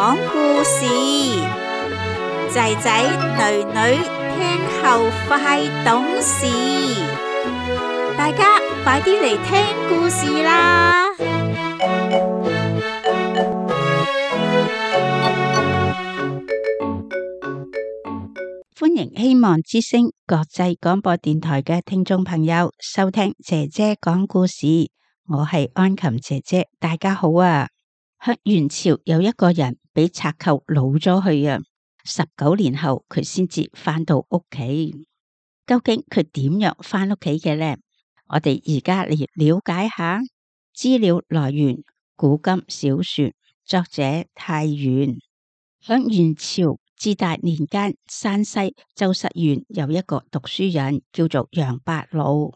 講故事，仔仔女女聽後快懂事，大家快啲嚟聽故事啦！歡迎希望之聲國際廣播電台嘅聽眾朋友收聽姐姐講故事，我係安琴姐姐，大家好啊！喺元朝有一個人俾賊寇擄咗去啊，19年後佢先至翻到屋企。究竟佢點樣翻屋企嘅呢？我哋而家嚟了解下。資料來源：古今小說，作者太原。喺元朝至大年間，山西周實縣有一個讀書人叫做楊伯魯。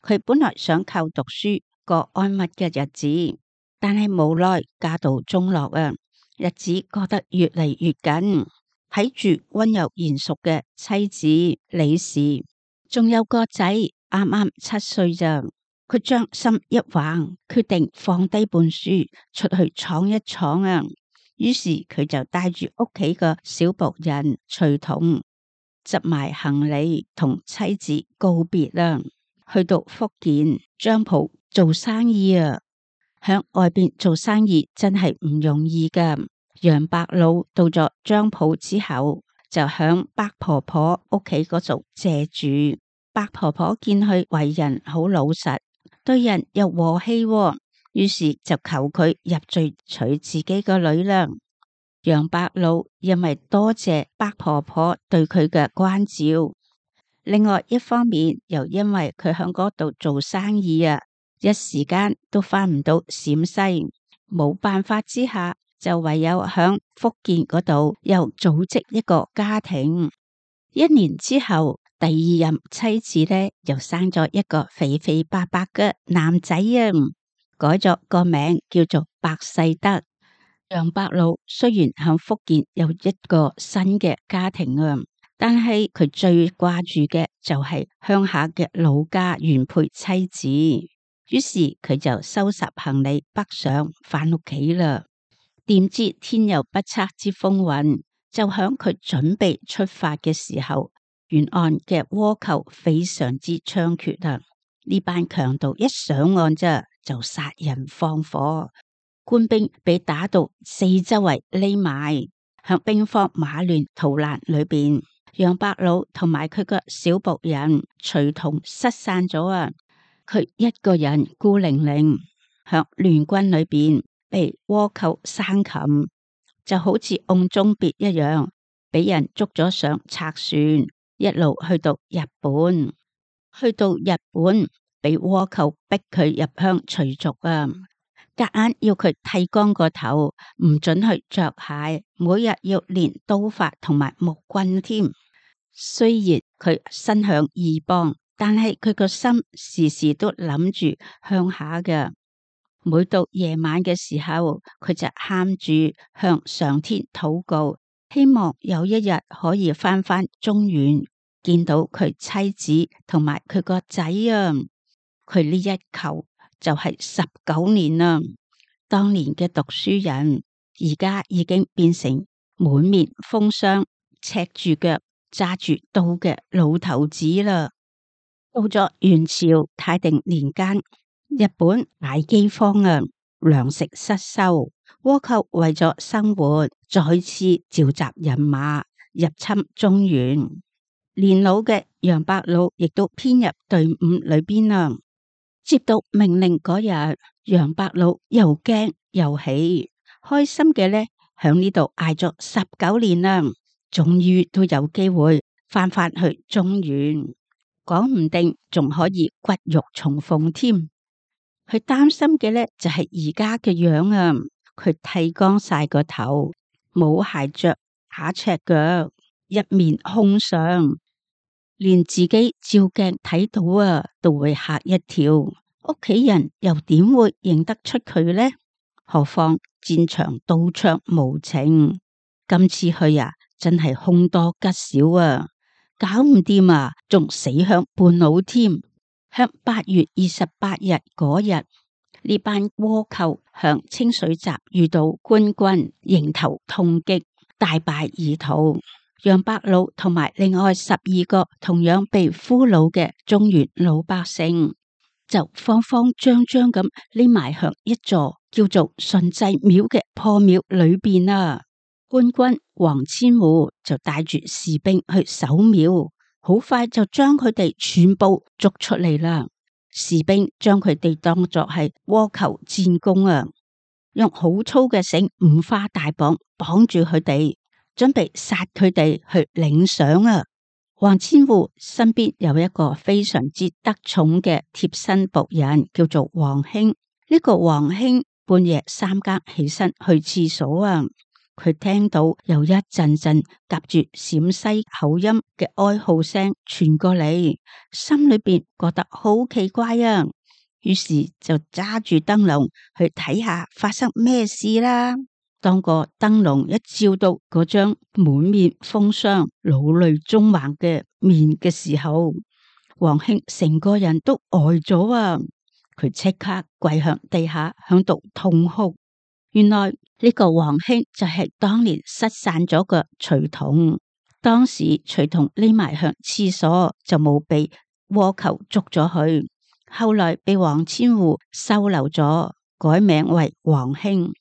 佢本來想靠讀書過安穩嘅日子，但係無奈家道中落啊，日子過得越嚟越緊。睇住溫柔賢淑嘅妻子李氏，仲有個仔啱啱7歲咋，佢將心一橫，決定放低本書出去闖一闖啊！於是佢就帶住屋企個小僕人隨同，執埋行李同妻子告別啦，去到福建漳浦做生意啊！響外邊做生意真係唔容易噶。楊伯魯到咗漳浦之後，就響白婆婆屋企嗰度借住。白婆婆見佢為人好老實，對人又和氣，於是就求佢入贅娶自己個女啦。楊伯魯因為多謝白婆婆對佢嘅關照，另外一方面又因為佢響嗰度做生意啊，一時間都翻唔到陝西，冇辦法之下就唯有響福建嗰度又組織一個家庭。1年之後，第2任妻子呢又生咗一個肥肥白白嘅男仔啊，改咗個名叫做白世德。楊伯魯雖然響福建有一個新嘅家庭啊，但係佢最掛住嘅就係鄉下嘅老家原配妻子，於是佢就收拾行李北上返屋企啦。點知天有不測之風雲，就響佢準備出發嘅時候，沿岸嘅倭寇非常之猖獗啊！呢班強盜一上岸咋就殺人放火，官兵被打到四周圍匿埋，向兵荒馬亂逃難裏邊，楊伯魯同埋佢個小僕人隨同失散咗啊！佢一個人孤零零向聯軍裏邊被倭寇生擒，就好似甕中鱉一樣，俾人捉咗上賊船，一路去到日本。去到日本，俾倭寇逼佢入鄉隨俗啊！夾硬要佢剃光個頭，唔准去着鞋，每日要練刀法同埋木棍添。雖然佢身向異邦，但係佢個心時時都諗住鄉下嘅。每到夜晚嘅時候，佢就喊住向上天禱告，希望有一日可以翻中原，見到佢妻子同埋佢個仔啊！佢呢一求就係19年啦。當年嘅讀書人，而家已經變成滿面風霜、赤住腳、揸住刀嘅老頭子啦。到咗元朝太平年間，日本大饑荒啊，糧食失收，倭寇為咗生活，再次召集人馬入侵中原。年老嘅楊伯魯亦都編入隊伍裏邊啦。接到命令嗰日，楊伯魯又驚又喜，開心嘅呢，響呢度挨咗19年啦，終於都有機會翻去中原，講唔定仲可以骨肉重逢添。佢擔心嘅呢，就係而家嘅樣啊，佢剃光晒個頭，冇鞋着，打赤腳，一面空相，連自己照鏡睇到啊，都會嚇一跳。屋企人又點會認得出佢呢？何況戰場刀槍無情，今次去啊，真係凶多吉少啊！搞唔掂啊，仲死響半路添。響8月28日嗰日，呢班倭寇向清水閘遇到官軍迎頭痛擊，大敗而逃。楊伯魯同埋另外12個同樣被俘虜嘅中原老百姓，就慌慌張張咁匿埋向一座叫做順濟廟嘅破廟裏邊啊。官軍王千戶就帶住士兵去守廟，好快就將佢哋全部捉出嚟啦。士兵將佢哋當作係倭寇戰功啊，用好粗嘅繩五花大綁綁住佢哋，準備殺佢哋去領賞啊。王千戶身邊有一個非常之得寵嘅貼身僕人，叫做王興。呢個王興半夜3更起身去廁所啊，佢聽到有一陣陣夾住陝西口音嘅哀號聲傳過嚟，心裏邊覺得好奇怪啊，於是就揸住燈籠去睇下發生咩事啦。當個燈籠一照到嗰張滿面風霜、老淚縱橫嘅面嘅時候，王興成個人都呆咗啊！佢即刻跪向地下，響度痛哭。原來呢個王興就係當年失散咗個隨同，當時隨同匿埋向廁所就冇被倭寇捉咗去，後來被王千戶收留咗，改名為王興。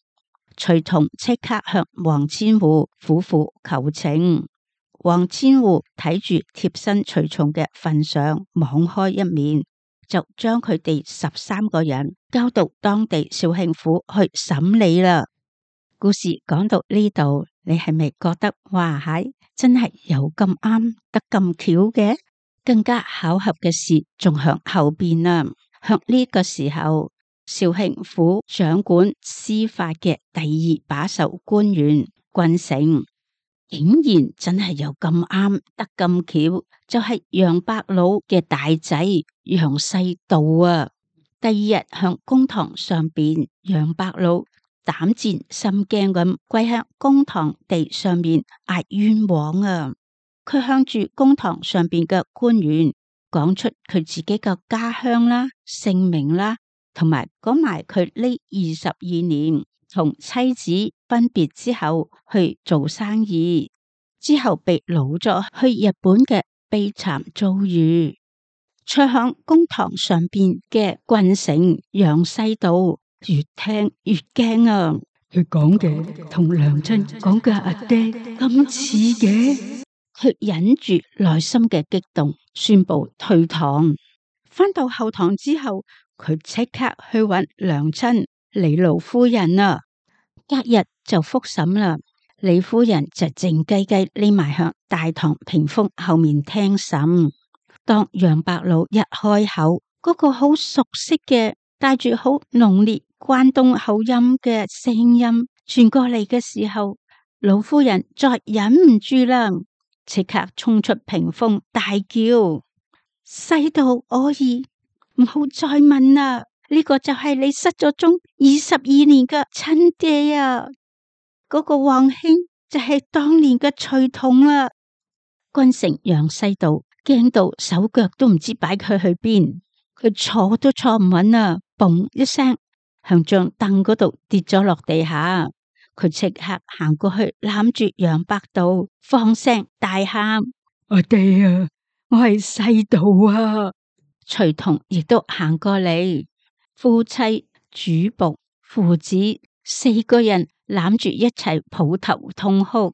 隨同即刻向王千戶苦苦求情，王千戶睇住貼身隨從嘅份上，網開一面，就將佢哋13個人交到當地紹興府去審理啦。故事講到呢度，你係咪覺得哇係真係有咁啱得咁巧嘅？更加巧合嘅事仲響後邊啊！響呢個時候，紹興府掌管司法嘅第2把手官員靳誠，竟然真係有咁啱得咁巧，就係楊伯魯嘅大仔楊世道啊！第2日向公堂上邊，楊伯魯膽戰心驚咁跪向公堂地上面嗌冤枉啊！佢向住公堂上邊嘅官員講出佢自己嘅家鄉啦、姓名啦，同埋講埋佢呢22年同妻子分別之後去做生意，之後被擄咗去日本嘅悲慘遭遇。坐響公堂上邊嘅靳誠楊世道越聽越驚啊！佢講嘅同娘親講嘅阿爹咁似嘅，佢忍住內心嘅激動，宣布退堂。返到後堂之後，佢即刻去揾娘親李老夫人啊。隔日就複審啦，李夫人就靜雞雞匿埋向大堂屏風後面聽審。當楊伯魯一開口，嗰個好熟悉嘅帶住好濃烈關東口音嘅聲音傳過嚟嘅時候，老夫人再忍唔住啦，即刻衝出屏風大叫：世道我兒，唔好再問啦！呢個就係你失咗蹤22年嘅親爹啊！嗰個王興就係當年嘅隨同啦！靳誠楊世道驚到手腳都唔知擺佢去邊，佢坐都坐唔穩啊！嘣一聲向張凳嗰度跌咗落地下，佢即刻行過去攬住楊伯道，放聲大喊：阿爹啊，我係世道啊！隨同亦都行過嚟，夫妻主僕父子4個人攬住一齊抱頭痛哭，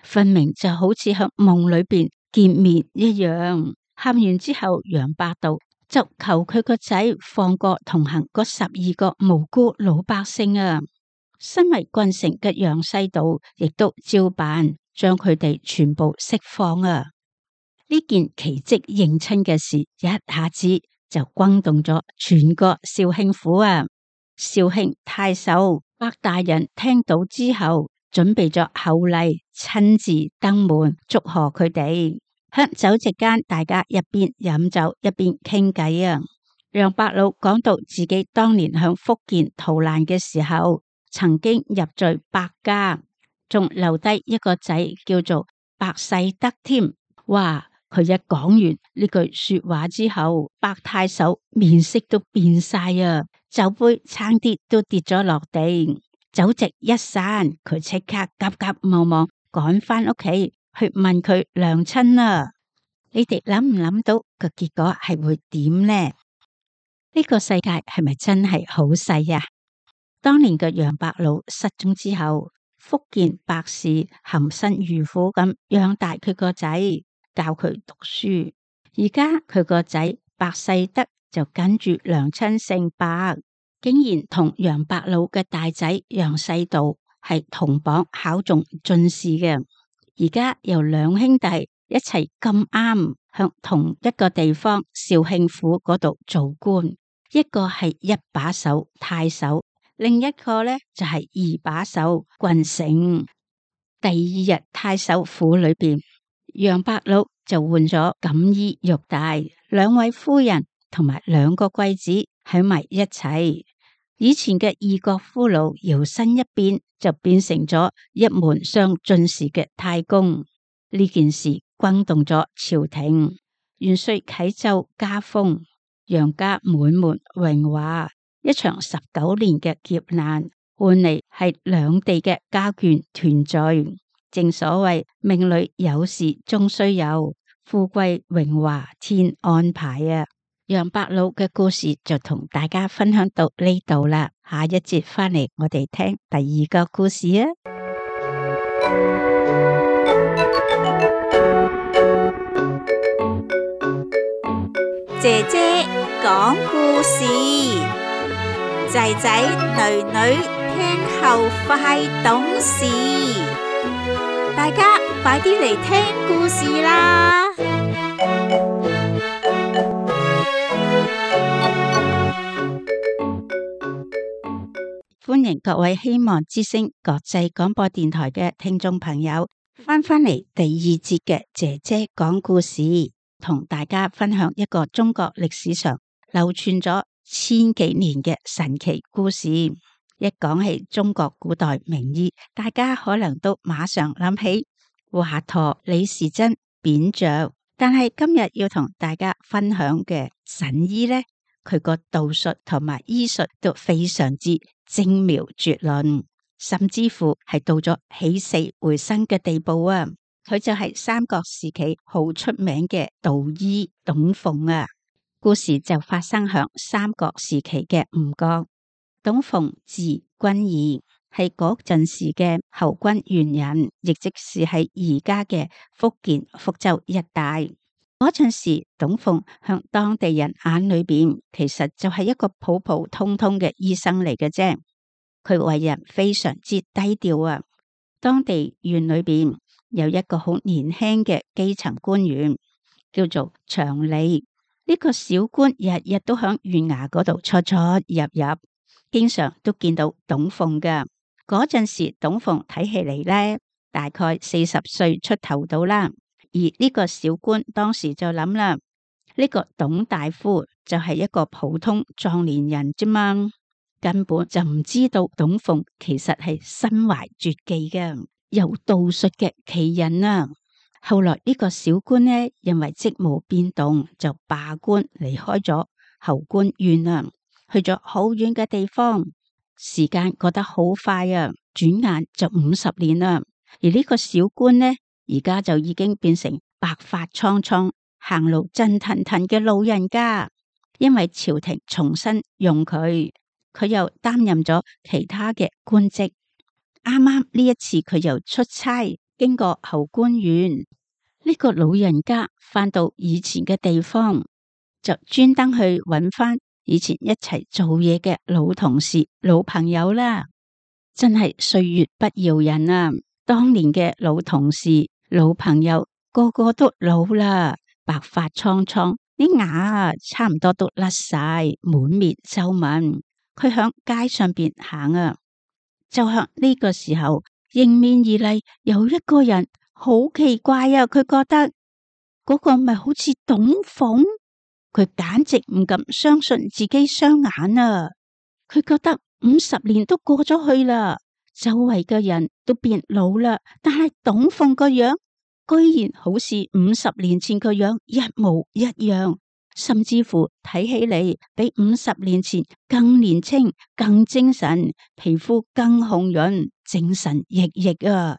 分明就好似喺夢裏邊見面一樣。喊完之後，楊伯道就求佢個仔放過同行嗰12個無辜老百姓啊！身為靳誠嘅楊世道亦都照辦，將佢哋全部釋放啊！呢件奇蹟認親嘅事，一下子就轟動咗全個紹興府啊！紹興太守白大人聽到之後，準備咗厚禮，親自登門祝賀佢哋。喺酒席間，大家一邊飲酒一邊傾偈啊！楊伯魯講到自己當年向福建逃難嘅時候，曾經入贅白家，仲留低一個仔叫做白世德添。哇！佢一講完呢句說話之後，白太守面色都變晒啊，酒杯差啲都跌咗落地，酒席一散，佢即刻急急忙忙趕返屋企去問佢娘親啦。你哋諗唔諗到個結果係會點呢？呢個世界係咪真係好細呀？當年嘅楊伯魯失蹤之後，福建百氏含辛茹苦咁養大佢個仔，教佢讀書。而家佢個仔白世德就跟住娘親姓白，竟然同楊伯魯嘅大仔楊世道係同榜考中進士嘅。而家由兩兄弟一齊咁啱向同一個地方肇慶府嗰度做官，一個係一把手太守，另一個呢就係二把手郡丞。第二日太守府裏邊，楊伯魯就換咗錦衣玉帶，兩位夫人同埋兩個貴子喺埋一齊。以前嘅異國俘虜搖身一變，就變成咗一門上進士嘅太公。呢件事轟動咗朝廷，元帥啟奏加封，楊家滿門榮華。一場19年嘅劫難，換嚟係兩地嘅家眷團聚。正所謂命裏有時終須有，富貴榮華天安排啊！楊伯魯嘅故事就同大家分享到呢度啦，下一節翻嚟我哋聽第二個故事啊！姐姐講故事，仔仔女女聽後快懂事，大家快啲嚟聽故事啦！歡迎各位希望之聲國際廣播電台嘅聽眾朋友翻返嚟第二節嘅姐姐講故事，同大家分享一個中國歷史上流傳咗千幾年嘅神奇故事。一講起中國古代名醫，大家可能都馬上諗起華佗、李時珍、扁鵲，但係今日要同大家分享嘅神醫呢，佢個道術同埋醫術都非常之精妙絕倫，甚至乎係到咗起死回生嘅地步啊！佢就係三國時期好出名嘅道醫董奉啊！故事就發生響三國時期嘅吳國。董奉字君儀，係嗰陣時嘅侯軍縣人，亦即是喺而家嘅福建福州一帶。嗰陣時，董奉向當地人眼裏邊，其實就係一個普普通通嘅醫生嚟嘅啫。佢為人非常之低調啊。當地縣裏邊有一個好年輕嘅基層官員，叫做長利。呢個小官日日都響縣衙嗰度出出入入，經常都見到董奉噶。嗰陣時，董奉睇起嚟呢，大概40歲出頭到啦。而呢個小官當時就諗啦，呢個董大夫就係一個普通壯年人啫嘛，根本就唔知道董奉其實係身懷絕技嘅，有道術嘅奇人啊！後來呢個小官呢，因為職務變動，就罷官離開咗侯官縣啊，去咗好遠嘅地方。時間過得好快啊，轉眼就50年啦。而呢個小官呢，而家就已經變成白髮蒼蒼、行路震騰騰嘅老人家。因為朝廷重新用佢，佢又擔任咗其他嘅官職。啱啱呢一次佢又出差經過侯官縣，呢個老人家翻到以前嘅地方，就專登去揾翻以前一齊做嘢嘅老同事、老朋友啦。真係歲月不饒人啊！當年嘅老同事、老朋友個個都老啦，白髮蒼蒼，啲牙差唔多都甩晒，滿面皺紋。佢響街上邊行啊，就向呢個時候迎面而嚟有一個人，好奇怪啊！佢覺得嗰個咪好似董奉，佢簡直唔敢相信自己雙眼啊！佢覺得50年都過咗去啦，周圍嘅人都變老啦，但係董奉個樣居然好似50年前個樣一模一樣，甚至乎睇起嚟比50年前更年輕、更精神，皮膚更紅潤，精神奕奕啊！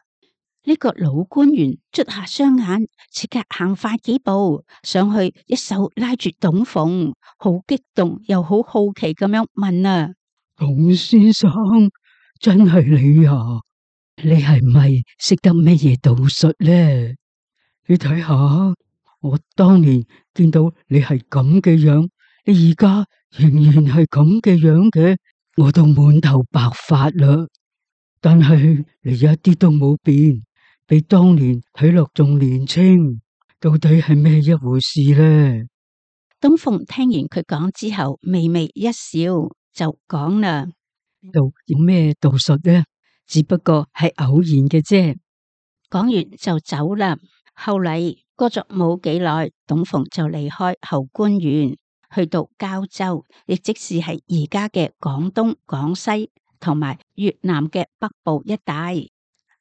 呢個老官員捽下雙眼，即刻行快幾步上去，一手拉住董鳳，好激動又好好奇咁樣問啊：董先生，真係你啊？你係咪識得乜嘢道術呢？你睇下，我當年見到你係咁嘅樣，你而家仍然係咁嘅樣嘅，我都滿頭白髮啦。但係你一啲都冇變，比當年睇落仲年輕，到底係咩一回事呢？董鳳聽完佢講之後，微微一笑，就講啦：呢度有咩道術呢？只不過係偶然嘅啫。講完就走啦。後嚟過咗冇幾耐，董鳳就離開侯官園，去到膠州，亦即是係而家嘅廣東、廣西同埋越南嘅北部一帶。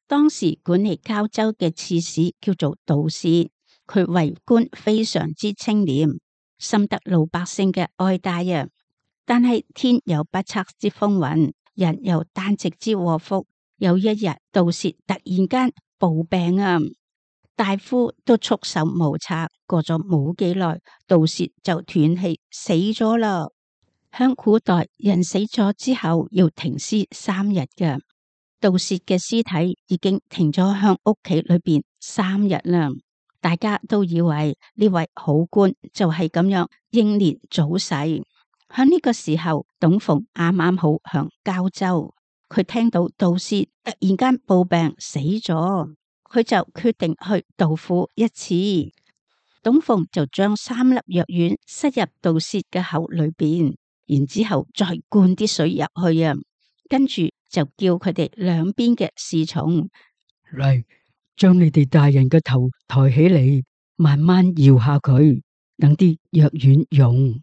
當時管理膠州嘅刺史叫做杜薛，佢為官非常之清廉，深得老百姓嘅愛戴啊。但係天有不測之風雲，人有旦夕之禍福。有一日，杜薛突然間暴病啊！大夫都束手無策，過咗冇幾耐，杜薛就斷氣死咗啦。響古代，人死咗之後要停屍3日嘅，杜薛嘅屍體已經停咗響屋企裏邊3日啦。大家都以為呢位好官就係咁樣英年早逝。響呢個時候，董鳳啱啱好響膠州。佢聽到杜薛突然間暴病死咗，佢就決定去杜府一次。董鳳就將3粒藥丸塞入杜薛嘅口裏邊，然之後再灌啲水入去啊，跟住就叫佢哋兩邊嘅侍從嚟，將你哋大人嘅頭抬起嚟，慢慢搖下佢，等啲藥丸溶。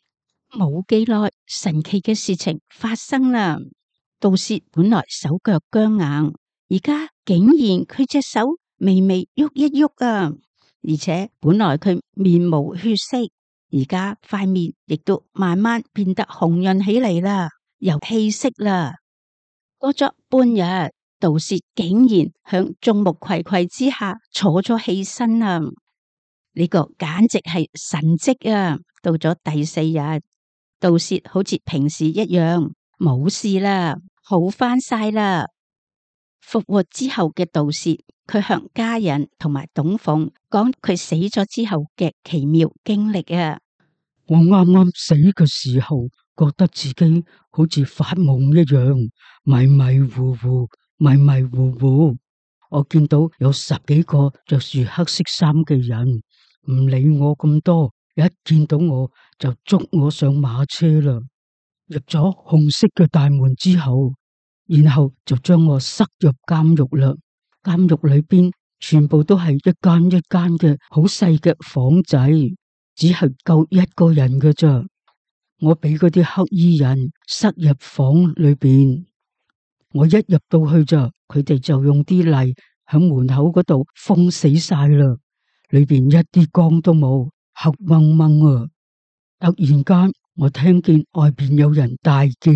冇幾耐，神奇嘅事情發生啦。杜薛本來手腳僵硬，而家竟然佢隻手微微喐一喐啊！而且本來佢面無血色，而家塊面亦都慢慢變得紅潤起嚟啦，有氣息啦。過咗半日，杜薛竟然響眾目睽睽之下坐咗起身啊！呢個簡直係神蹟啊！到咗第4日，杜薛好似平時一樣冇事啦。好翻晒啦！復活之後嘅杜薛，佢向家人同埋董鳳講佢死咗之後嘅奇妙經歷啊！我啱啱死嘅時候，覺得自己好似發夢一樣，迷迷糊糊，迷迷糊糊。我見到有10幾個着住黑色衫嘅人，唔理我咁多，一見到我就捉我上馬車啦。入咗紅色嘅大門之後，然後就將我塞入監獄啦。監獄裏邊全部都係一間一間嘅好細嘅房仔，只係夠1個人嘅咋。我俾嗰啲黑衣人塞入房裏邊，我一入到去咋，佢哋就用啲泥響門口嗰度封死晒啦。裏邊一啲光都冇，黑掹掹啊！突然間，我聽見外邊有人大叫：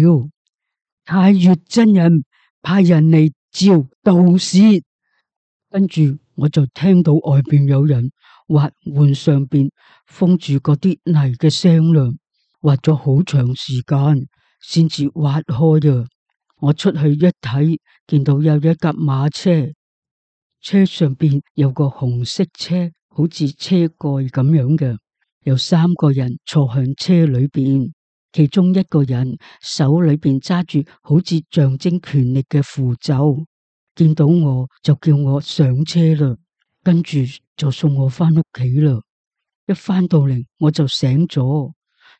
太乙真人派人嚟召杜薛。跟住我就聽到外邊有人挖門上邊封住嗰啲泥嘅聲啦，挖咗好長時間先至挖開啊！我出去一睇，見到有一架馬車，車上邊有個紅色車，好似車蓋咁樣嘅，有3個人坐向車裏邊。其中一個人手裏邊揸住好似象徵權力嘅符咒，見到我就叫我上車啦，跟住就送我翻屋企啦。一翻到嚟我就醒咗，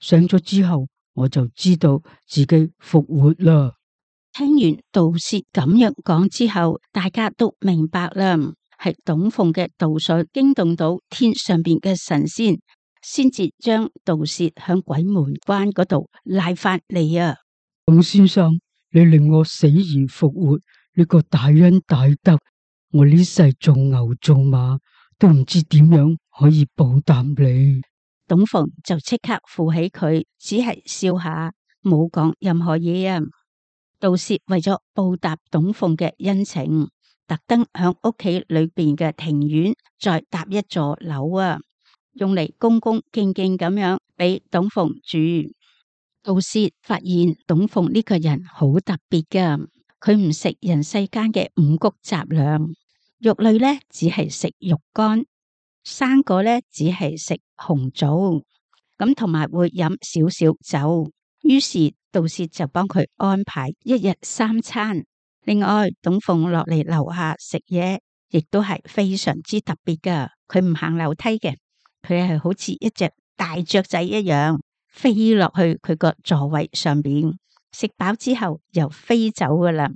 醒咗之後我就知道自己復活啦。聽完杜薛咁樣講之後，大家都明白啦，係董鳳嘅道術驚動到天上邊嘅神仙，先至將杜薛響鬼門關嗰度拉翻嚟啊！董先生，你令我死而復活，呢個大恩大德，我呢世做牛做馬都唔知點樣可以報答你。董鳳就即刻扶起佢，只係笑下，冇講任何嘢啊。杜氏為咗報答董鳳嘅恩情，特登響屋企裏邊嘅庭院再搭一座樓啊，用嚟恭恭敬敬咁樣俾董鳳住。杜氏發現董鳳呢個人好特別噶，佢唔食人世間嘅五穀雜糧，肉類呢只係食肉乾，生果呢只係食紅棗，咁同埋會飲少少酒。於是杜氏就幫佢安排一日三餐。另外，董鳳落嚟樓下食嘢，亦都係非常之特別噶。佢唔行樓梯嘅，佢係好似一隻大雀仔一樣飛落去佢個座位上邊，食飽之後又飛走噶啦。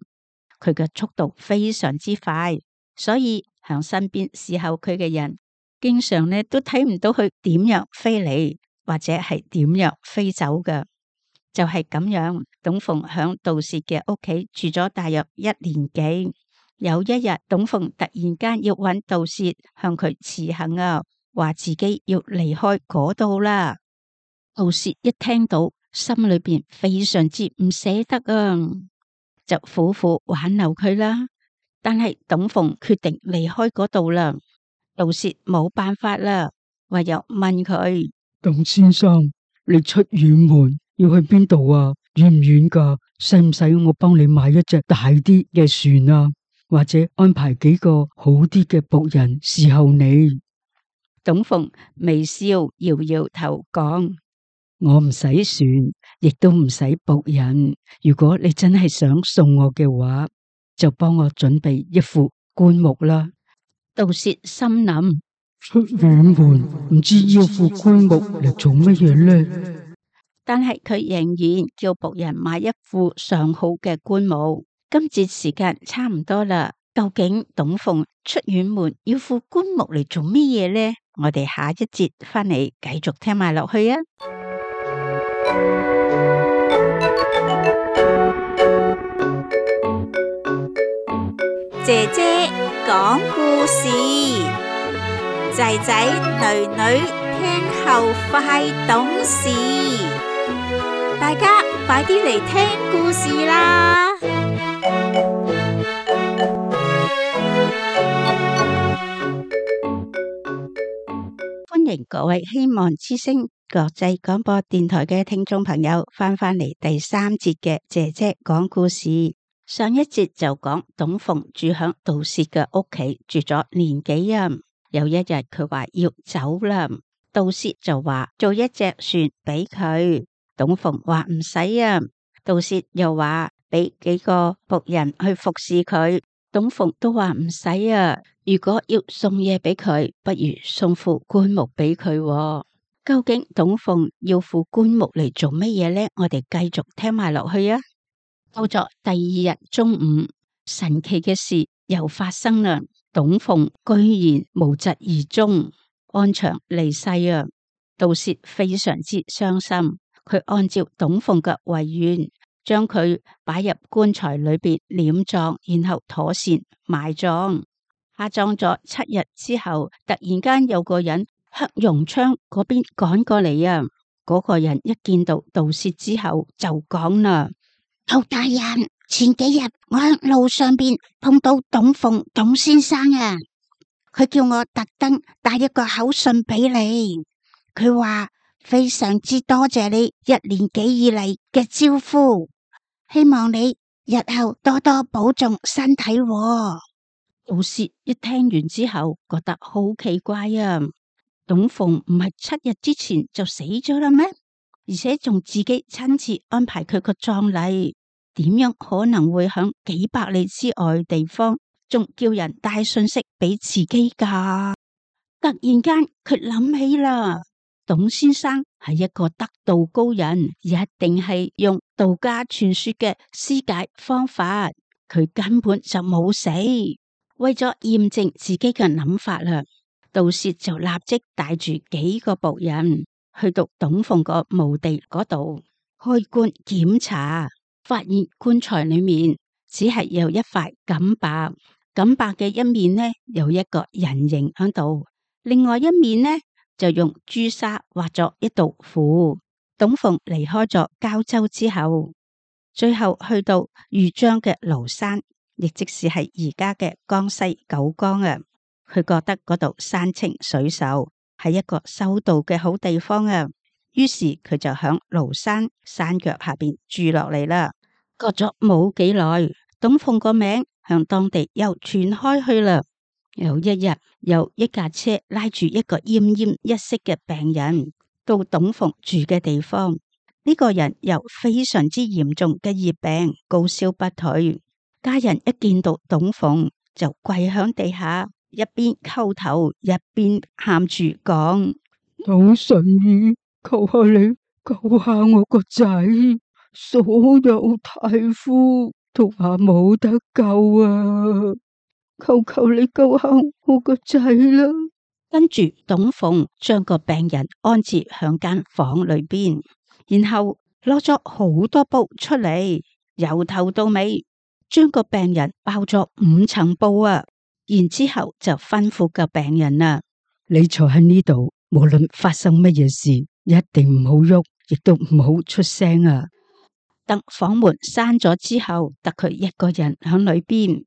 佢嘅速度非常之快，所以響身邊侍候佢嘅人，經常呢都睇唔到佢點樣飛嚟，或者係點樣飛走噶。就係咁樣，董鳳響杜氏嘅屋企住咗大約1年幾。有一日，董鳳突然間要揾杜氏向佢辭行啊，話自己要離開嗰度啦。杜氏一聽到，心裏邊非常之唔捨得啊，就苦苦挽留佢啦。但係董鳳決定離開嗰度啦，杜氏冇辦法啦，唯有問佢：董先生，你出遠門要去邊度啊？遠唔遠噶？使唔使我幫你買一隻大啲嘅船啊？或者安排幾個好啲嘅僕人侍候你？董鳳微笑搖搖頭講：我唔使船，亦都唔使僕人。如果你真係想送我嘅話，就幫我準備一副棺木啦。杜氏心諗：出遠門唔知要副棺木嚟做乜嘢呢？但係佢仍然叫僕人買一副上好嘅棺木。今節時間差唔多啦，究竟董鳳出遠門要副棺木嚟做乜嘢呢？我哋下一節翻嚟繼續聽埋落去啊！姐姐講故事，仔仔女女聽後快懂事。大家快啲嚟聽故事啦！歡迎各位希望之聲國際廣播電台嘅聽眾朋友翻返嚟第3節嘅姐姐講故事。上一節就講董鳳住響杜氏嘅屋企住咗年幾啊，有一日佢話要走啦，杜氏就話做一隻船俾佢。董鳳話唔使啊，杜氏又話俾幾個僕人去服侍佢，董鳳都話唔使啊。如果要送嘢俾佢，不如送副棺木俾佢。究竟董鳳要副棺木嚟做乜嘢呢？我哋繼續聽埋落去啊！到咗第2日中午，神奇嘅事又發生啦。董鳳居然無疾而終，安詳離世啊！杜氏非常之傷心。佢按照董鳳嘅遺願，將佢擺入棺材裏邊殮葬，然後妥善埋葬。下葬咗7日之後，突然間有個人向榕窗嗰邊趕過嚟啊！嗰個人一見到杜氏之後就講啦：劉大人，前幾日我喺路上邊碰到董鳳董先生啊，佢叫我特登帶一個口信俾你，佢話非常之多謝你1年幾以嚟嘅招呼，希望你日後多多保重身體喎。杜氏一聽完之後覺得好奇怪啊，董鳳唔係7日之前就死咗啦咩？而且仲自己親自安排佢個葬禮，點樣可能會響幾百里之外地方仲叫人帶信息俾自己噶？突然間佢諗起啦，董先生係一個得道高人，一定係用道家傳說嘅施解方法，佢根本就冇死。為咗驗證自己嘅諗法啦，杜氏就立即帶住幾個僕人去到董鳳個墓地嗰度開棺檢查，發現棺材裏面只係有一塊錦帛，錦帛嘅一面呢有一個人形喺度，另外一面呢就用朱砂畫咗一道符。董鳳離開咗交州之後，最後去到豫章嘅廬山，亦即是係而家嘅江西九江啊。佢覺得嗰度山清水秀，係一個修道嘅好地方啊。於是佢就響廬山山腳下邊住落嚟啦。過咗冇幾耐，董鳳個名向當地又傳開去啦。有一日，有一架車拉住一個奄奄一息嘅病人到董鳳住嘅地方。呢個人有非常之嚴重嘅熱病，高燒不退。家人一見到董鳳就跪響地下，一邊叩頭一邊喊住講：董神醫，求下你救下我個仔，所有大夫都話冇得救啊！求求你救下我個仔啦！跟住董鳳將個病人安置響間房裏邊，然後攞咗好多布出嚟，由頭到尾將個病人包咗5層布啊！然之後就吩咐個病人啊：你坐喺呢度，無論發生乜嘢事，一定唔好喐，亦都唔好出聲啊！等房門閂咗之後，得佢一個人響裏邊。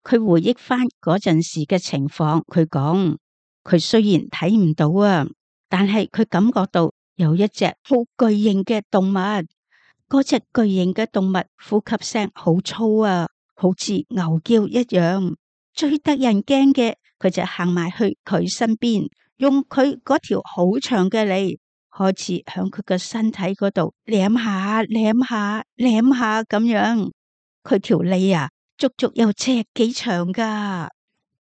佢回憶翻嗰陣時嘅情況，佢講：佢雖然睇唔到啊，但係佢感覺到有一隻好巨型嘅動物。嗰隻巨型嘅動物呼吸聲好粗啊，好似牛叫一樣。最得人驚嘅，佢就行埋去佢身邊，用佢嗰條好長嘅脷開始響佢嘅身體嗰度舐下舐下舐下咁樣。佢條脷啊，足足有尺幾長噶。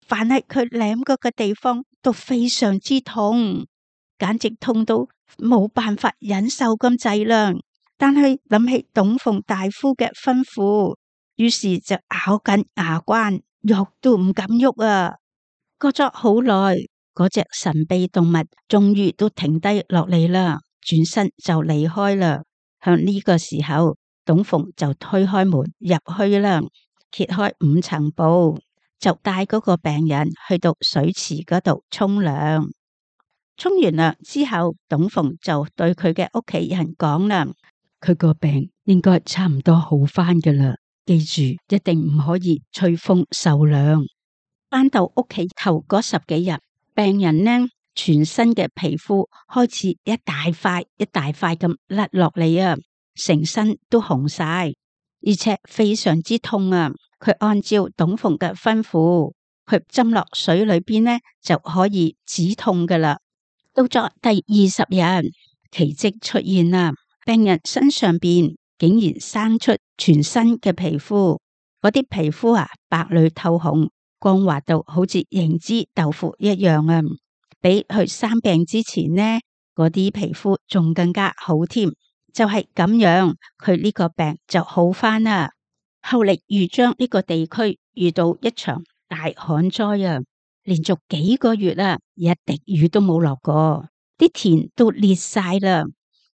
凡係佢舐嗰個地方都非常之痛，簡直痛到冇辦法忍受咁滯啦。但係諗起董鳳大夫嘅吩咐，於是就咬緊牙關，喐都唔敢喐啊。過咗好耐，嗰隻神秘動物終於都停低落嚟啦，轉身就離開啦。向呢個時候，董鳳就推開門入去啦，揭開5層布，就帶嗰個病人去到水池嗰度沖涼。沖完涼之後，董鳳就對佢嘅屋企人講啦：佢個病應該差唔多好翻㗎啦，記住一定唔可以吹風受涼。返到屋企頭嗰10幾日，病人呢全身嘅皮膚開始一大塊一大塊咁甩落嚟啊，成身都紅晒，而且非常之痛啊。佢按照董鳳嘅吩咐，佢浸落水裏邊呢就可以止痛噶啦。到咗第20日，奇蹟出現啦，病人身上邊竟然生出全新嘅皮膚，嗰啲皮膚啊白裏透紅，光滑到好似凝脂豆腐一樣啊！比佢生病之前呢，嗰啲皮膚仲更加好添。就係咁樣，佢呢個病就好翻啦。後嚟豫章呢個地區遇到一場大旱災啊，連續幾個月啊，一滴雨都冇落過，啲田都裂晒啦，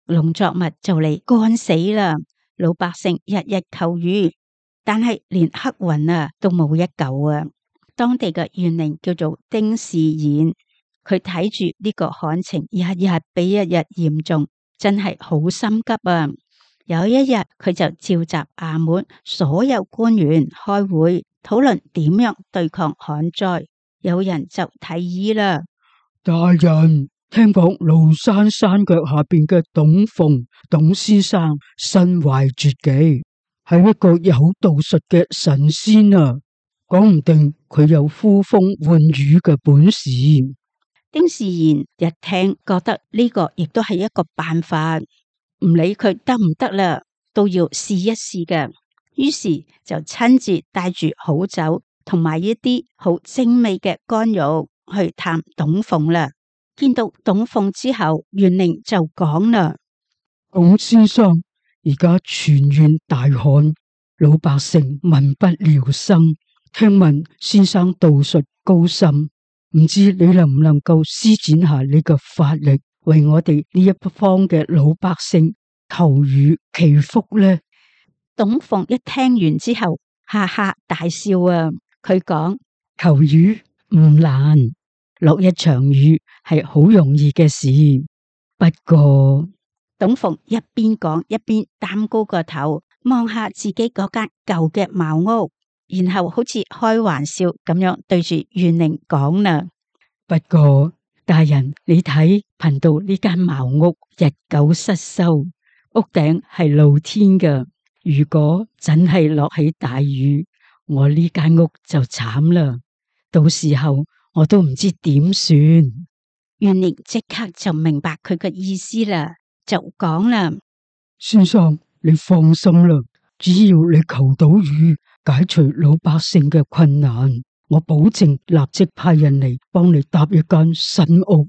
農作物就嚟乾死啦。老百姓日日求雨，但係連黑雲啊都冇一嚿啊。當地嘅縣令叫做丁士彥，佢睇住呢個旱情日日比一日嚴重，真係好心急啊！有一日，佢就召集衙門所有官員開會討論點樣對抗旱災。有人就提議啦：大人，聽講廬山山腳下邊嘅董鳳董先生身懷絕技，係一個有道術嘅神仙啊！講唔定佢有呼風喚雨嘅本事。丁士彥一聽，覺得呢個亦都係一個辦法。唔理佢得唔得啦，都要試一試嘅。於是就親自帶住好酒同埋一啲好精美嘅乾肉去探董鳳啦。見到董鳳之後，縣令就講啦：董先生，而家全縣大旱，老百姓民不聊生。聽聞先生道術高深，唔知你能唔能夠施展下你嘅法力，為我哋呢一方嘅老百姓求雨祈福呢？董鳳一聽完之後，哈哈大笑啊！佢講：求雨唔難，落一場雨係好容易嘅事。不過，董鳳一邊講一邊擔高個頭，望下自己嗰間舊嘅茅屋，然後好似開玩笑咁樣對住元玲講啦。不過大人，你睇貧道呢間茅屋日久失修，屋頂係露天嘅，如果真係落起大雨，我呢間屋就慘啦，到時候我都唔知點算。元玲即刻就明白佢嘅意思啦，就講啦：先生，你放心啦，只要你求到雨，解除老百姓嘅困難，我保證立即派人嚟幫你搭一間新屋。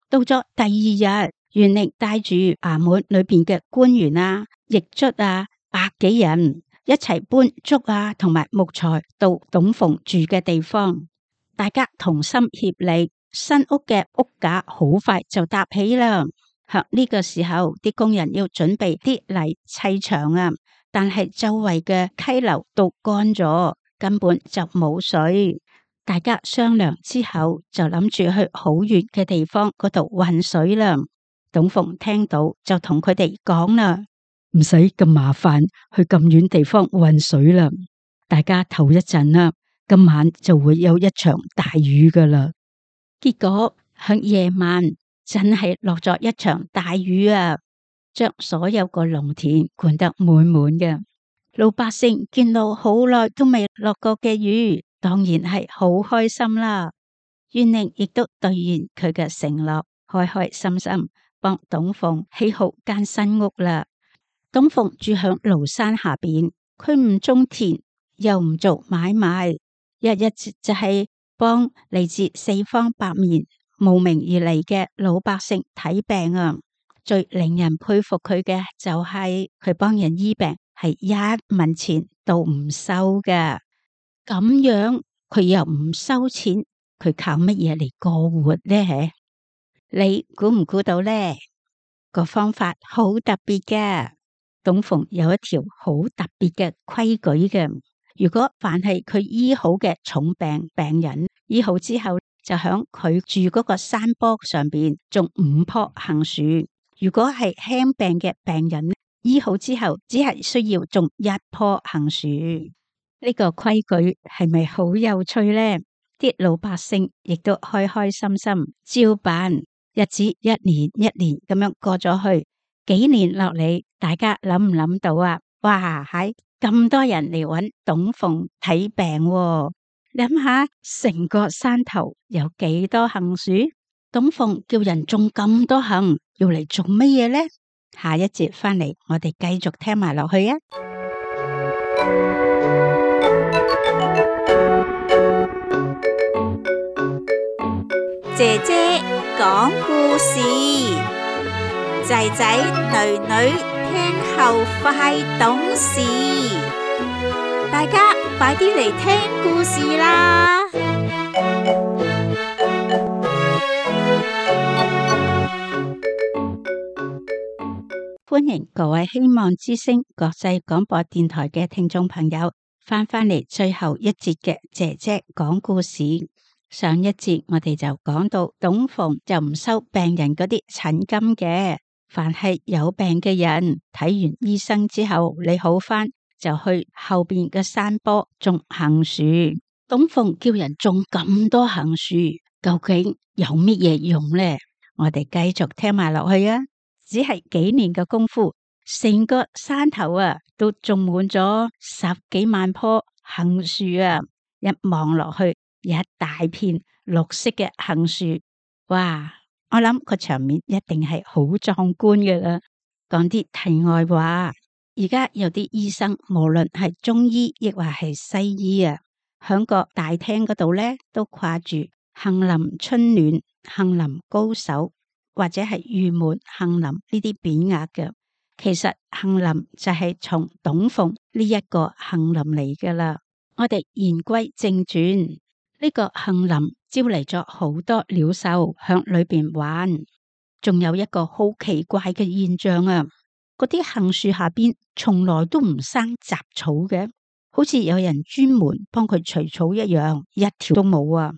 到咗第二日，元玲帶住衙門裏邊嘅官員啊、役卒啊，百幾人一齊搬竹啊同埋木材到董鳳住嘅地方，大家同心協力，新屋嘅屋架好快就搭起啦。喺呢個時候，啲工人要準備啲泥砌牆啊，但係周圍嘅溪流都乾咗，根本就冇水。大家商量之後，就諗住去好遠嘅地方嗰度運水啦。董鳳聽到就同佢哋講啦：唔使咁麻煩去咁遠地方運水啦，大家唞一陣啦，今晚就會有一場大雨噶啦。結果響夜晚真係落咗一場大雨啊，將所有個農田灌得滿滿嘅。老百姓見到好耐都未落過嘅雨，當然係好開心啦。元玲亦都兌現佢嘅承諾，開開心心幫董鳳起好間新屋啦。董鳳住響廬山下邊，佢唔種田，又唔做買賣，日日就係幫嚟自四方八面慕名而嚟嘅老百姓睇病啊。最令人佩服佢嘅就係佢幫人醫病係一文錢都唔收㗎。咁樣佢又唔收錢，佢靠乜嘢嚟過活呢？你估唔估到呢？個方法好特別嘅。董鳳有一條好特別嘅規矩嘅，如果凡係佢醫好嘅重病病人，醫好之後就響佢住嗰個山坡上邊種5棵杏樹；如果係輕病嘅病人，醫好之後只係需要種1棵杏樹。呢個規矩係咪好有趣呢？啲老百姓亦都開開心心照辦，日子一年一年咁樣過咗去，幾年落嚟，大家諗唔諗到啊？哇，係咁多人嚟揾董鳳睇病喎，諗下成個山頭有幾多杏樹？董鳳叫人種咁多杏，要嚟做乜嘢呢？下一節翻嚟，我哋繼續聽埋落去啊！姐姐講故事，仔仔女女聽後快懂事，大家快啲嚟聽故事啦！歡迎各位希望之聲國際廣播電台嘅聽眾朋友翻嚟最後一節嘅姐姐講故事。上一節我哋就講到董鳳就唔收病人嗰啲診金嘅，凡係有病嘅人睇完醫生之後你好翻，就去後邊嘅山坡種杏樹。董鳳叫人種咁多杏樹，究竟有乜嘢用呢？我哋繼續聽埋落去啊！只係幾年嘅功夫，成個山頭啊都種滿咗10幾萬棵杏樹啊！一望落去，一大片綠色嘅杏樹，哇！我諗個場面一定係好壯觀嘅啦。講啲題外話，而家有啲醫生，無論係中醫亦或係西醫啊，響個大廳嗰度咧，都掛住杏林春暖、杏林高手或者係玉門杏林呢啲匾額嘅。其實杏林就係從董鳳呢一個杏林嚟噶啦。我哋言歸正傳，呢個杏林招嚟咗好多鳥獸響裏邊玩，仲有一個好奇怪嘅現象啊！嗰啲杏樹下邊從來都唔生雜草嘅，好似有人專門幫佢除草一樣，一條都冇啊！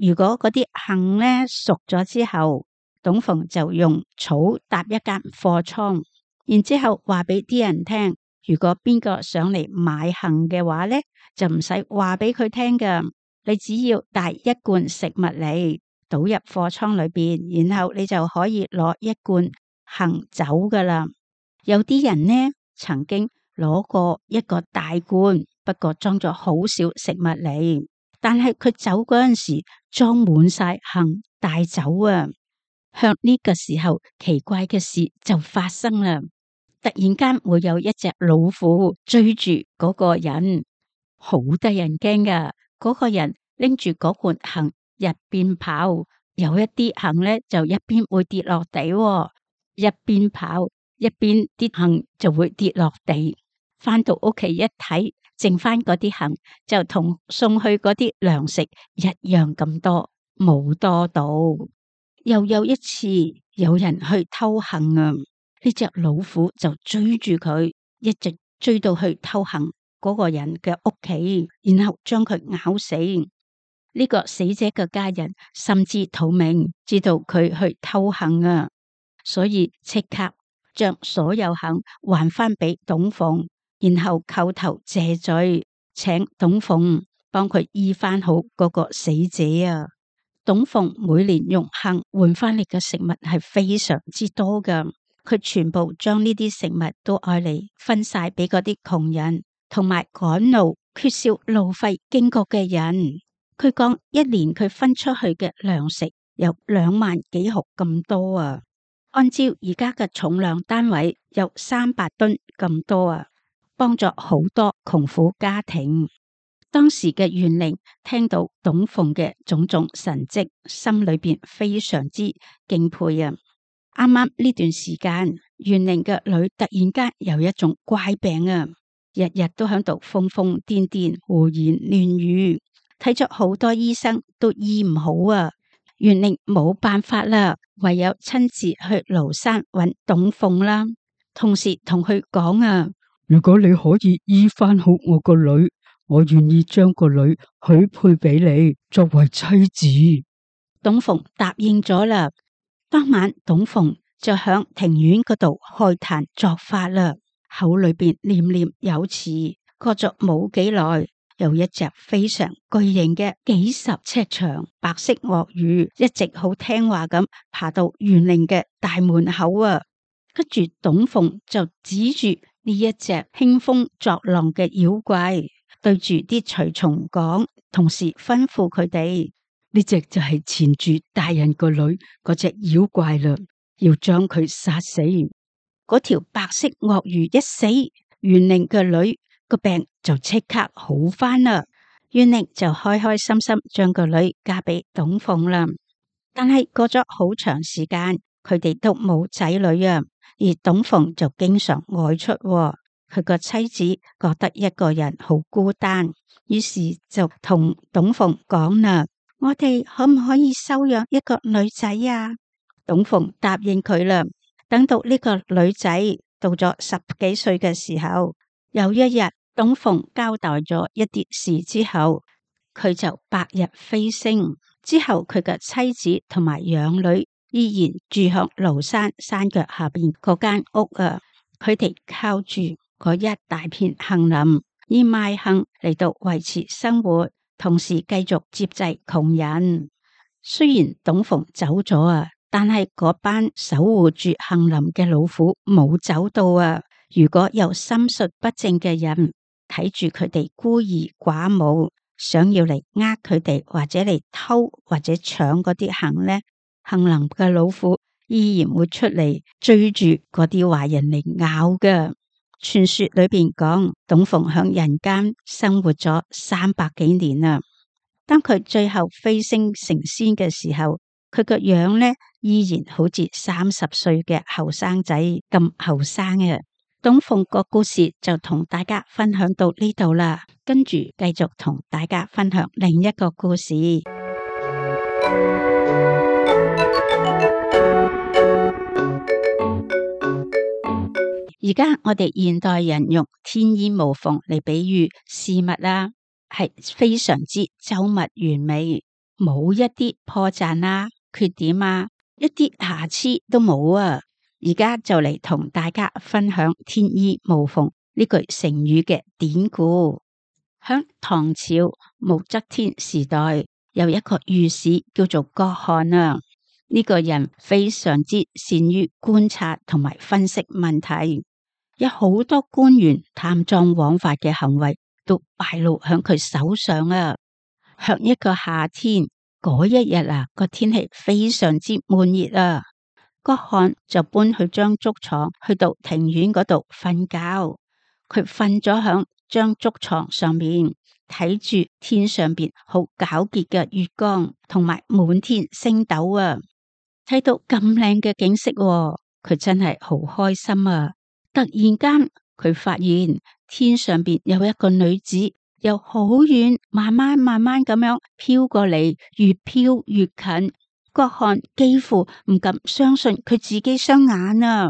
如果嗰啲杏呢熟咗之後，董鳳就用草搭一間貨倉，然之後話俾啲人聽，如果邊個上嚟買杏嘅話呢，就唔使話俾佢聽㗎，你只要帶一罐食物嚟，倒入貨倉裏邊，然後你就可以攞一罐杏走㗎啦。有啲人呢曾經攞過一個大罐，不過裝咗好少食物嚟，但係佢走嗰陣時裝滿晒杏帶走啊！向呢個時候，奇怪嘅事就發生啦。突然間會有一隻老虎追住嗰個人，好得人驚噶。嗰個人拎住嗰罐杏一邊跑，有一啲杏呢就一邊會跌落地，一邊跑一邊啲杏就會跌落地。返到屋企一睇，剩翻嗰啲杏就同送去嗰啲糧食一樣咁多，冇多到。又有一次有人去偷杏啊，呢隻老虎就追住佢，一直追到去偷杏嗰個人嘅屋企，然後將佢咬死。呢個死者嘅家人甚至逃命，知道佢去偷杏啊，所以即刻將所有杏還翻俾董鳳，然後叩頭謝罪，請董鳳幫佢醫翻好嗰個死者啊。董鳳每年用杏換翻嚟嘅食物係非常之多噶，佢全部將呢啲食物都愛嚟分晒俾嗰啲窮人，同埋趕路缺少路費經過嘅人。佢講一年佢分出去嘅糧食有2萬幾斛咁多啊，按照而家嘅重量單位有300噸咁多啊，幫助好多窮苦家庭。當時嘅縣令聽到董鳳嘅種種神蹟，心裏邊非常之敬佩啊！啱啱呢段時間，縣令嘅女突然間有一種怪病啊，日日都喺度瘋瘋癲癲、胡言亂語，睇咗好多醫生都醫唔好啊！縣令冇辦法啦，唯有親自去廬山揾董鳳啦，同時同佢講啊：如果你可以醫翻好我個女，我願意將個女許配俾你作為妻子。董鳳答應咗啦。當晚董鳳就響庭院嗰度開壇作法啦，口裏邊念念有詞。過咗冇幾耐，有一隻非常巨型嘅幾十尺長白色鱷魚，一直好聽話咁爬到縣令嘅大門口啊。跟住董鳳就指住呢一隻興風作浪嘅妖怪，對住啲隨從講，同時吩咐佢哋：呢隻就係纏住大人個女嗰隻妖怪啦，要將佢殺死。嗰條白色鱷魚一死，縣令嘅女個病就即刻好翻啦。縣令就開開心心將個女嫁俾董鳳啦。但係過咗好長時間，佢哋都冇仔女啊，而董鳳就經常外出喎。佢個妻子覺得一個人好孤單，於是就同董鳳講啦：我哋可唔可以收養一個女仔啊？董鳳答應佢啦。等到呢個女仔到咗10幾歲嘅時候，有一日董鳳交代咗一啲事之後，佢就白日飛升。之後佢嘅妻子同埋養女依然住響廬山山腳下邊嗰間屋啊。佢哋靠住嗰一大片杏林，以賣杏嚟到維持生活，同時繼續接濟窮人。雖然董鳳走咗啊，但係嗰班守護住杏林嘅老虎冇走到啊。如果有心術不正嘅人睇住佢哋孤兒寡母，想要嚟呃佢哋，或者嚟偷或者搶嗰啲杏呢，杏林嘅老虎依然會出嚟追住嗰啲壞人嚟咬㗎。傳說裏邊講，董鳳響人間生活咗300幾年啦。當佢最後飛升成仙嘅時候，佢個樣呢依然好似30歲嘅後生仔咁後生嘅。董鳳個故事就同大家分享到呢度啦，跟住繼續同大家分享另一個故事。而家我哋現代人用天衣無縫嚟比喻事物啦，係非常之周密完美，冇一啲破綻啊、缺點啊、一啲瑕疵都冇啊！而家就嚟同大家分享天衣無縫呢句成語嘅典故。響唐朝武則天時代，有一個御史叫做郭汜啊。呢個人非常之善於觀察同埋分析問題，有好多官員貪贓枉法嘅行為都敗露響佢手上啊。響一個夏天嗰一日啊，個天氣非常之悶熱啊。郭汜就搬去張竹床去到庭院嗰度瞓覺。佢瞓咗響張竹床上面，睇住天上邊好皎潔嘅月光同埋滿天星斗啊。睇到咁靚嘅景色喎，佢真係好開心啊！突然間，佢發現天上邊有一個女子由好遠慢慢咁樣飄過嚟，越飄越近。郭汜幾乎唔敢相信佢自己雙眼啊！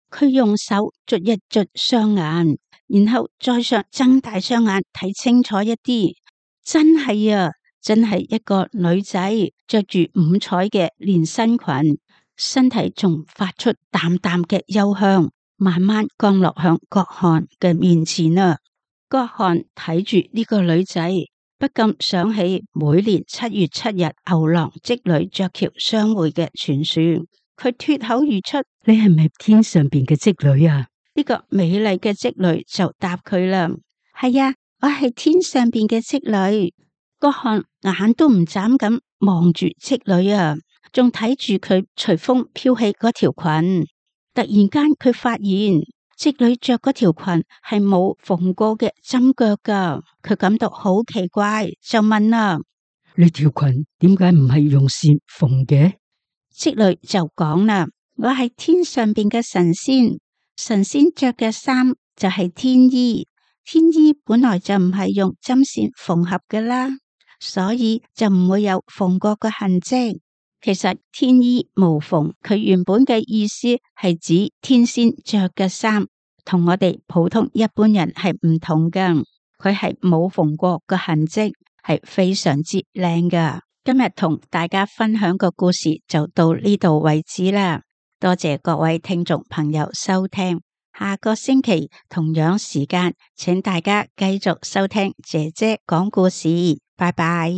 佢用手捽一捽雙眼，然後再上睜大雙眼睇清楚一啲，真係啊！真係一個女仔，着住五彩嘅連身裙，身體仲發出淡淡嘅幽香，慢慢降落向郭汜嘅面前啊！郭汜睇住呢個女仔，不禁想起每年7月7日牛郎織女鵲橋相會嘅傳說。佢脫口而出：你係咪天上邊嘅織女啊？呢個美麗嘅織女就答佢啦：係啊，我係天上邊嘅織女。郭汜眼都唔眨咁望住織女啊，仲睇住佢隨風飄起嗰條裙。突然間佢發現織女着嗰條裙係冇縫過嘅針腳噶，佢感到好奇怪，就問啦：呢條裙點解唔係用線縫嘅？織女就講啦：我係天上邊嘅神仙，神仙着嘅衫就係天衣，天衣本來就唔係用針線縫合嘅啦。所以就唔會有縫過嘅痕跡。其實天衣無縫，佢原本嘅意思係指天仙着嘅衫，同我哋普通一般人係唔同㗎。佢係冇縫過嘅痕跡，係非常之靚㗎。今日同大家分享個故事就到呢度為止啦。多謝各位聽眾朋友收聽。下個星期同樣時間，請大家繼續收聽姐姐講故事。拜拜。